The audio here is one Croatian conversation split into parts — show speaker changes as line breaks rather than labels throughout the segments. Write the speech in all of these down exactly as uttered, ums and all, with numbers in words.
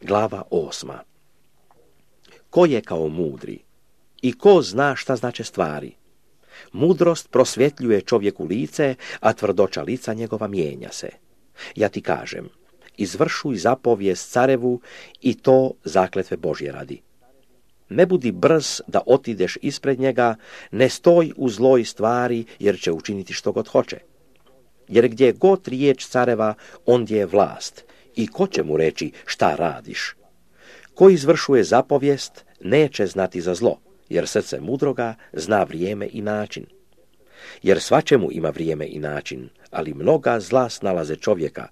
Glava osma. Ko je kao mudri? I ko zna šta znače stvari? Mudrost prosvjetljuje čovjeku lice, a tvrdoća lica njegova mijenja se. Ja ti kažem, izvršuj zapovijest carevu i to zakletve Božje radi. Ne budi brz da otideš ispred njega, ne stoj u zloj stvari, jer će učiniti što god hoće. Jer gdje god riječ careva, ondje je vlast, i ko će mu reći šta radiš? Ko izvršuje zapovijest, neće znati za zlo, jer srce mudroga zna vrijeme i način. Jer svačemu ima vrijeme i način, ali mnoga zla snalaze čovjeka,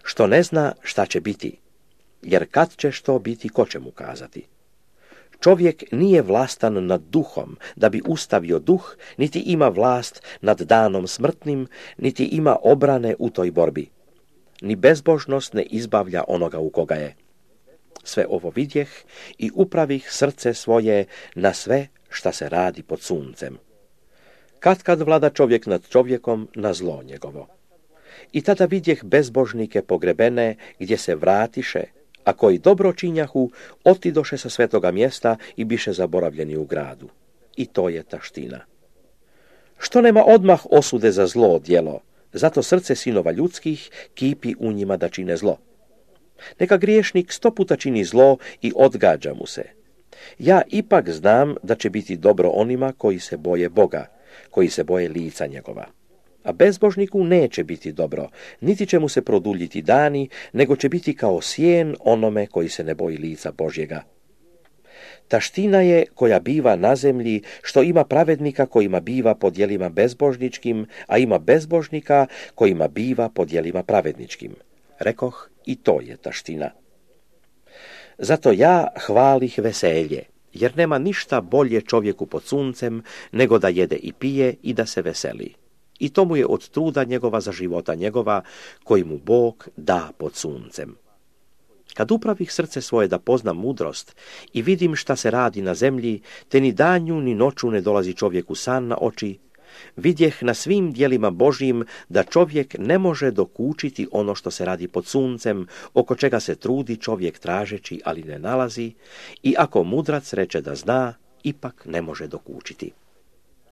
što ne zna šta će biti, jer kad će što biti, ko će mu kazati? Čovjek nije vlastan nad duhom, da bi ustavio duh, niti ima vlast nad danom smrtnim, niti ima obrane u toj borbi. Ni bezbožnost ne izbavlja onoga u koga je. Sve ovo vidjeh i upravih srce svoje na sve šta se radi pod suncem. Kad kad vlada čovjek nad čovjekom na zlo njegovo. I tada vidjeh bezbožnike pogrebene gdje se vratiše, a koji dobro činjahu, otidoše sa svetoga mjesta i biše zaboravljeni u gradu. I to je taština. Što nema odmah osude za zlo djelo, zato srce sinova ljudskih kipi u njima da čine zlo. Neka griješnik sto puta čini zlo i odgađa mu se. Ja ipak znam da će biti dobro onima koji se boje Boga, koji se boje lica njegova. A bezbožniku neće biti dobro, niti će mu se produljiti dani, nego će biti kao sjen onome koji se ne boji lica Božjega. Taština je koja biva na zemlji, što ima pravednika kojima biva po djelima bezbožničkim, a ima bezbožnika kojima biva po djelima pravedničkim. Rekoh, i to je taština. Zato ja hvalih veselje, jer nema ništa bolje čovjeku pod suncem, nego da jede i pije i da se veseli. I to mu je od truda njegova za života njegova, koji mu Bog da pod suncem. Kad upravih srce svoje da poznam mudrost i vidim šta se radi na zemlji, te ni danju ni noću ne dolazi čovjeku san na oči, vidjeh na svim djelima Božjim da čovjek ne može dokučiti ono što se radi pod suncem, oko čega se trudi čovjek tražeći, ali ne nalazi, i ako mudrac reče da zna, ipak ne može dokučiti.